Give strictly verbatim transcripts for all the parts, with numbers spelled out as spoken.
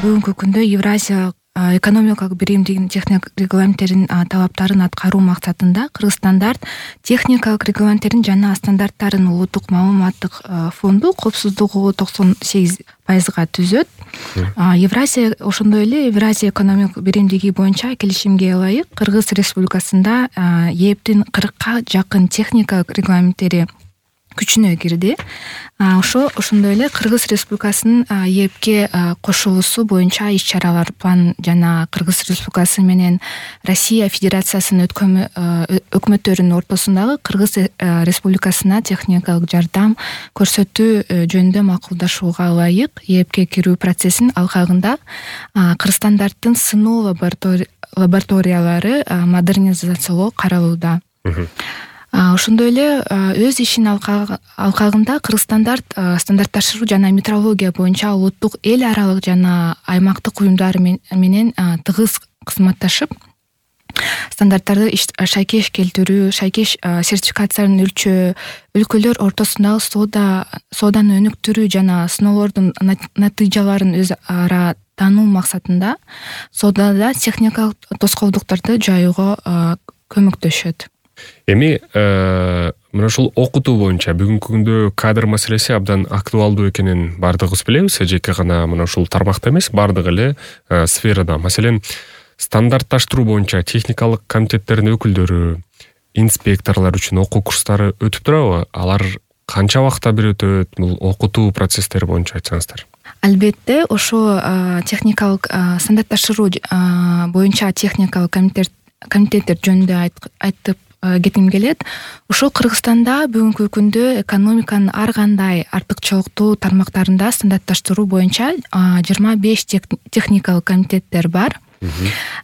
бүгүнкү күндө Евразия экономикалык биримдигинин техник регламенттеринин талаптарын аткаруу максатында Кыргызстандар техникалык регламенттердин жана стандарттарын улуттук маалыматтык фонду коопсуздугу токсон сегиз пайызга түзөт. Евразия ошондой эле Евразия экономикалык биримдиги боюнча келишимге ылайык Кыргыз Республикасында ээптин кыркка жакын техникалык регламенттери күчүнө кирди. Ошо ошондой эле Кыргыз Республикасынын ээпке кошулуусу боюнча иш-чаралар план жана Кыргыз Республикасы менен Россия Федерациясынын өкмөттөрүнүн ортосундагы Кыргыз Республикасына техникалык жардам көрсөтүү жөнүндө макулдашууга ылайык ээпке кирүү процессин алкагында Кыргызстандардын сыноо лабораториялары модернизациялоо каралууда. Ошондой эле өз ишинин алкагында Кыргызстандар стандартташтыруу жана метрология боюнча улуттук эл аралык жана аймактык уюмдар менен тыгыз кызматташып, стандарттарды шайкеш келтирүү, шайкеш сертификациясын өлчөө, өлкөлөр ортосундагы соода сооданы өнүктүрүү жана сыноолордун натыйжаларын өз ара таануу максатында соодада техникалык тоскоолдуктарды жаюуга көмөктөшөт. Эми мына ушул окутуу боюнча бүгүнкү күндө кадр маселеси абдан актуалдуу экенин баардыгыбыз билебиз. Жеке гана мына ушул тармакта эмес, баардык эле сферада. Маселен, стандартташтыруу боюнча техникалык комитеттердин өкүлдөрү, инспекторлор үчүн окуу курстары өтүп турабы? Алар канча убакытта бир өтөт? Бул окутуу процесстери боюнча айтсаңыздар. Албетте, ошо техникалык стандартташтыруу боюнча техникалык комитеттер жөнүндө айтып кетким келет. Ошо Кыргызстанда бүгүнкү күндө экономиканын ар кандай артыкчылыктуу тармактарында стандартташтыруу боюнча жыйырма беш техникалык комитеттер бар.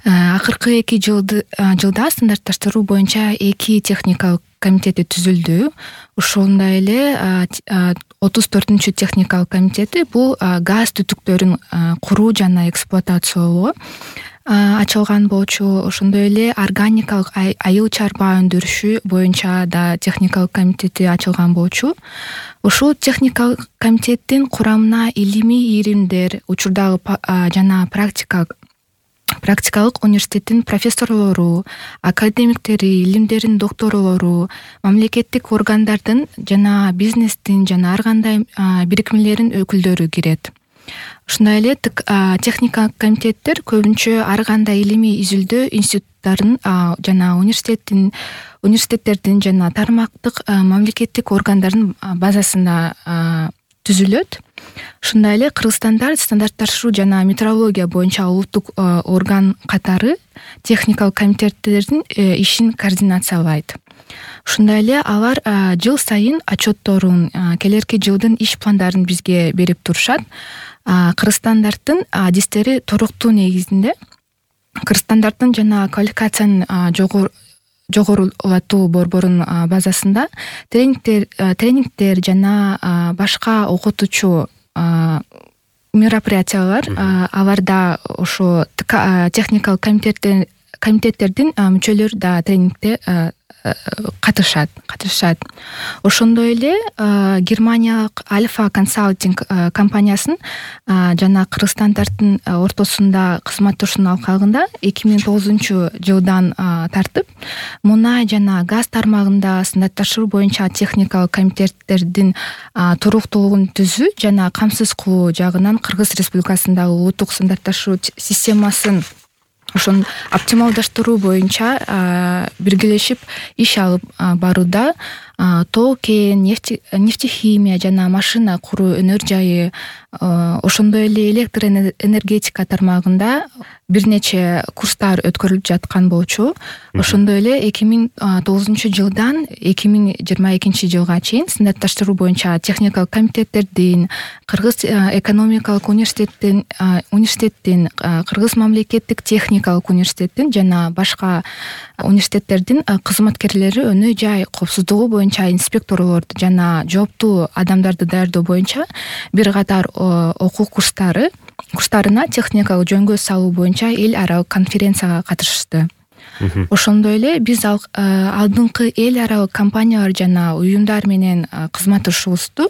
Акыркы эки жылда стандартташтыруу боюнча эки техникалык комитети түзүлдү. Ошондой эле отуз төртүнчү техникалык комитети бул газ түтүктөрүн куруу жана эксплуатациялоо ачылган болчу. Ошондой эле органикалык айыл чарба өндүрүшү боюнча да техникалык комитети ачылган болчу. Ушул техникалык комитеттин курамына илимий иримдер, учурдагы жана практикалык практикалык университеттин профессорлору, академиктери, илимдердин докторлору, мамлекеттик органдардын жана бизнестин жана ар кандай бирикмелердин өкүлдөрү кирет. Ушундай эле техникалык комитеттер көбүнчө ар кандай илимий изилдөө институттарын жана университеттин университеттердин жана тармактык мамлекеттик органдардын базасында түзүлөт. Ушундай эле Кыргызстандар стандартташтыруу жана метрология боюнча улуттук орган катары техникалык комитеттердин ишин координациялайт. Ушундай эле алар жыл сайын отчетторун, келерки жылдын иш пландарын бизге берип турушат. Кыргызстандардын адистери туруктуу негизинде Кыргызстандардын жана квалификациянын жогорулатуу борборунун базасында тренингдер тренингдер жана башка окутуучу мероприятиялар аларда ошо техникалык комитеттердин комитеттердин мүчөлөрү да тренингде катышат катышат Ошондой эле Германиялык Альфа консалтинг компаниясын жана Кыргызстандардын ортосунда кызматташуунун алкагында эки миң тогузунчу жылдан тартып мунай жана газ тармагында стандартташтыруу боюнча техникалык комитеттердин туруктуулугун түзүү жана камсыз кылуу жагынан Кыргыз Республикасындагы улуттук стандартташтыруу системасын ошон оптималдаштыруу боюнча биргелешип иш алып барууда. Тоо кен, нефтехимия жана машина куруу өнөр жайы, ошондой эле электроэнергетика тармагында бир нече курстар өткөрүлүп жаткан болчу. Ошондой эле эки миң тогузунчу жылдан эки миң жыйырма экинчи жылга чейин стандартташтыруу боюнча техникалык комитеттердин, Кыргыз экономикалык университеттин университеттин, Кыргыз мамлекеттик техникалык университеттин жана башка университеттердин кызматкерлери өнөө жай коопсуздугу боюнча инспекторлорду жана жооптуу адамдарды даярдоо боюнча бир катар окуу курстары курстарына техникалык жөнгө салуу боюнча эл аралык конференцияга катышты. ошондой эле биз алдыңкы эл аралык компаниялар жана уюмдар менен кызматташуубузду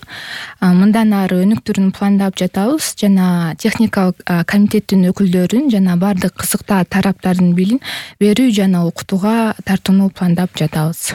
мындан ары өнүктүрүүнү пландап жатабыз жана техникалык комитеттин өкүлдөрүн жана баардык кызыктуу тараптардын билим берүү жана окутууга тартууну пландап жатабыз.